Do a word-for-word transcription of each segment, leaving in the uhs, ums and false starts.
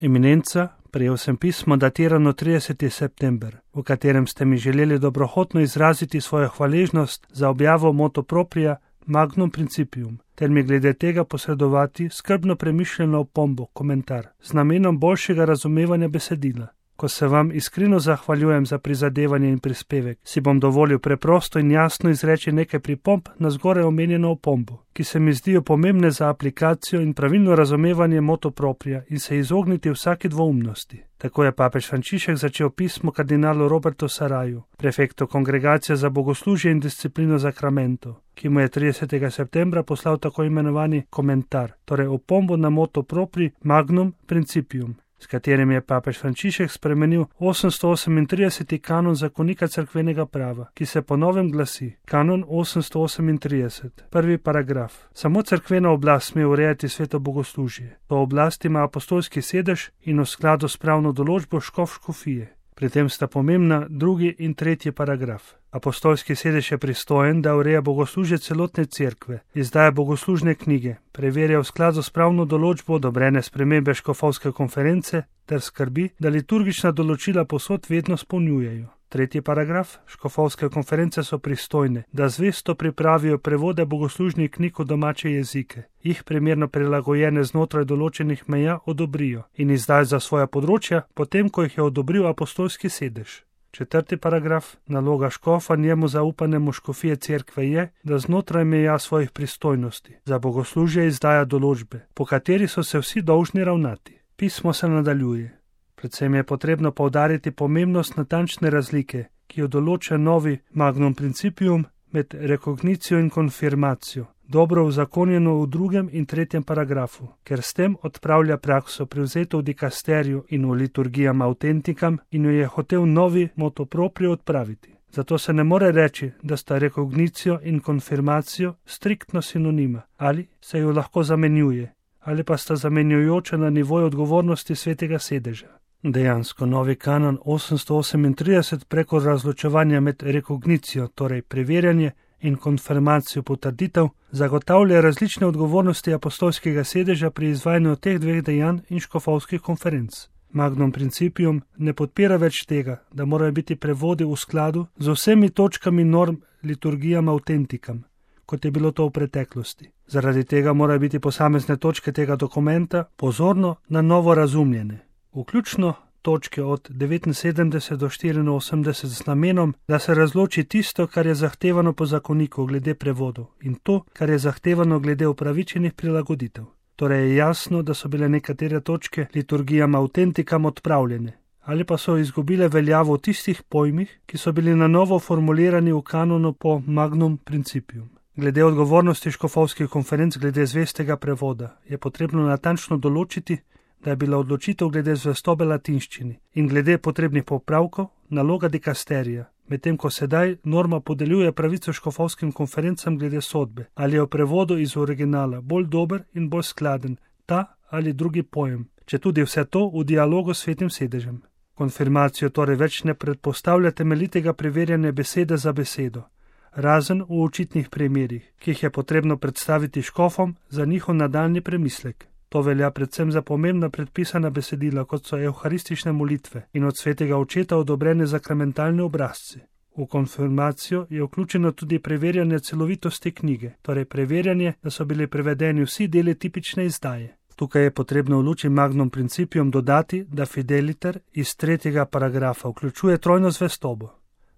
Eminenca, prejel sem pismo datirano trideseti september, v katerem ste mi želeli dobrohotno izraziti svojo hvaležnost za objavo motu propria Magnum Principium, ter mi glede tega posredovati skrbno premišljeno opombo, komentar, z namenom boljšega razumevanja besedila. Ko se vam iskreno zahvaljujem za prizadevanje in prispevek, si bom dovolil preprosto in jasno izreči nekaj pripomb na zgoraj omenjeno opombo, ki se mi zdijo pomembne za aplikacijo in pravilno razumevanje motu propria in se izogniti vsaki dvoumnosti. Tako je papež Frančišek začel pismo kardinalu Robertu Saraju, prefektu Kongregacije za bogoslužje in disciplino zakramentov, ki mu je tridesetega septembra poslal tako imenovani komentar, torej opombo na motu propri Magnum Principium, s katerim je papež Frančišek spremenil osemsto osemintrideseti kanon zakonika cerkvenega prava, ki se po novem glasi kanon osemsto osemintrideset, prvi paragraf. Samo cerkvena oblast sme urejati sveto bogoslužje. To oblast ima apostolski sedež in v skladu s pravno določbo škof škofije. Pri tem sta pomembna drugi in tretji paragraf. Apostolski sedež je pristojen, da ureja bogoslužje celotne cerkve, izdaja bogoslužne knjige, preverja v skladu s pravno določbo odobrene spremembe škofovske konference ter skrbi, da liturgična določila povsod vedno spolnjujejo. Tretji paragraf. Škofovske konference so pristojne, da zvesto pripravijo prevode bogoslužnih knjig v domače jezike, jih primerno prilagojene znotraj določenih meja odobrijo in izdajo za svoja področja, potem ko jih je odobril apostolski sedež. Četrti paragraf. Naloga škofa njemu zaupanemu škofije cerkve je, da znotraj meja svojih pristojnosti za bogoslužje izdaja določbe, po kateri so se vsi dolžni ravnati. Pismo se nadaljuje. Predvsem je potrebno poudariti pomembnost natančne razlike, ki jo določa novi Magnum Principium med rekognicijo in konfirmacijo, dobro uzakonjeno v drugem in tretjem paragrafu, ker s tem odpravlja prakso privzeto v dikasteriju in v liturgijam autentikam in jo je hotel novi motu proprio odpraviti. Zato se ne more reči, da sta rekognicijo in konfirmacijo striktno sinonima, ali se jo lahko zamenjuje, ali pa sta zamenjujoča na nivoju odgovornosti svetega sedeža. Dejansko novi kanon osemsto osemintrideset preko razločevanja med rekognicijo, torej preverjanje, in konfirmacijo potrditev, zagotavlja različne odgovornosti apostolskega sedeža pri izvajanju teh dveh dejanj in škofovskih konferenc. Magnum Principium ne podpira več tega, da morajo biti prevodi v skladu z vsemi točkami norm liturgijam autentikam, kot je bilo to v preteklosti. Zaradi tega morajo biti posamezne točke tega dokumenta pozorno na novo razumljene, vključno točke od devetinsedemdeset do štiriinosemdeset z namenom, da se razloči tisto, kar je zahtevano po zakoniku glede prevodov in to, kar je zahtevano glede upravičenih prilagoditev. Torej je jasno, da so bile nekatere točke liturgijam autentikam odpravljene ali pa so izgubile veljavo v tistih pojmih, ki so bili na novo formulirani v kanonu po Magnum Principium. Glede odgovornosti škofovskih konferenc glede zvestega prevoda je potrebno natančno določiti, da je bila odločitev glede zvestobe latinščini in glede potrebnih popravkov naloga dikasterija, medtem ko sedaj norma podeljuje pravico škofovskim konferencam glede sodbe, ali je v prevodu iz originala bolj dober in bolj skladen ta ali drugi pojem, če tudi vse to v dialogu s svetim sedežem. Konfirmacijo torej več ne predpostavlja temeljitega preverjanja besede za besedo, razen v očitnih primerih, ki jih je potrebno predstaviti škofom za njihov nadaljnji premislek. To velja predvsem za pomembna predpisana besedila, kot so evharistične molitve in od svetega očeta odobrene zakramentalne obrazci. V konfirmacijo je vključeno tudi preverjanje celovitosti knjige, torej preverjanje, da so bili prevedeni vsi deli tipične izdaje. Tukaj je potrebno v luči Magnum Principium dodati, da fideliter iz tretjega paragrafa vključuje trojno zvestobo.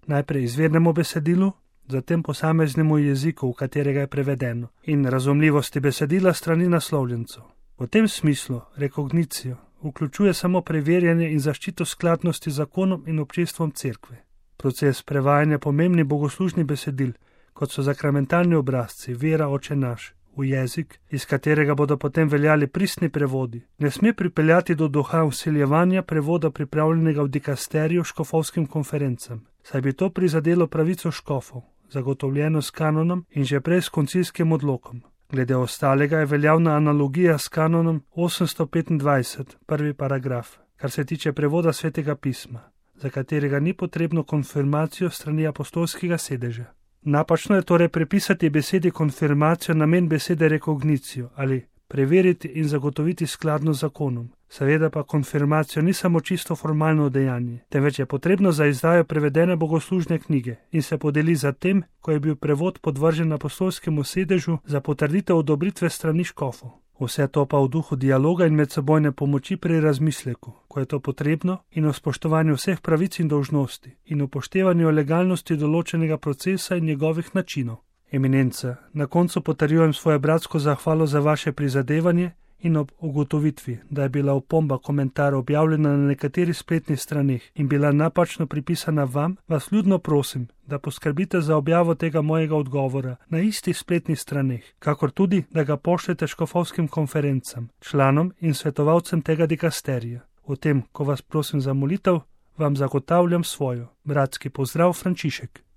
Najprej izvirnemu besedilu, zatem posameznemu jeziku, v katerega je prevedeno, in razumljivosti besedila strani naslovljencev. V tem smislu rekognicijo vključuje samo preverjanje in zaščito skladnosti z zakonom in občestvom cerkve. Proces prevajanja pomembnih bogoslužnih besedil, kot so zakramentalni obrazci, vera Oče naš, v jezik, iz katerega bodo potem veljali pristni prevodi, ne sme pripeljati do duha vsiljevanja prevoda pripravljenega v dikasteriju škofovskim konferencam, saj bi to prizadelo pravico škofov, zagotovljeno s kanonom in že prej s koncilskim odlokom. Glede ostalega je veljavna analogija s kanonom osemsto petindvajset, prvi paragraf, kar se tiče prevoda svetega pisma, za katerega ni potrebno konfirmacijo strani apostolskega sedeža. Napačno je torej prepisati besedi konfirmacijo namen besede rekognicijo ali preveriti in zagotoviti skladno z zakonom. Seveda pa konfirmacijo ni samo čisto formalno dejanje, temveč je potrebno za izdajo prevedene bogoslužne knjige in se podeli za tem, ko je bil prevod podvržen apostolskemu sedežu za potrditev odobritve strani škofov. Vse to pa v duhu dialoga in medsebojne pomoči pri razmisleku, ko je to potrebno, in o spoštovanju vseh pravic in dolžnosti in upoštevanju legalnosti določenega procesa in njegovih načinov. Eminenca, na koncu potrjujem svojo bratsko zahvalo za vaše prizadevanje in ob ugotovitvi, da je bila opomba komentarja objavljena na nekaterih spletnih straneh in bila napačno pripisana vam, vas vljudno prosim, da poskrbite za objavo tega mojega odgovora na istih spletnih straneh, kakor tudi, da ga pošljete škofovskim konferencam, članom in svetovalcem tega dikasterija. V tem, ko vas prosim za molitev, vam zagotavljam svojo. Bratski pozdrav, Frančišek.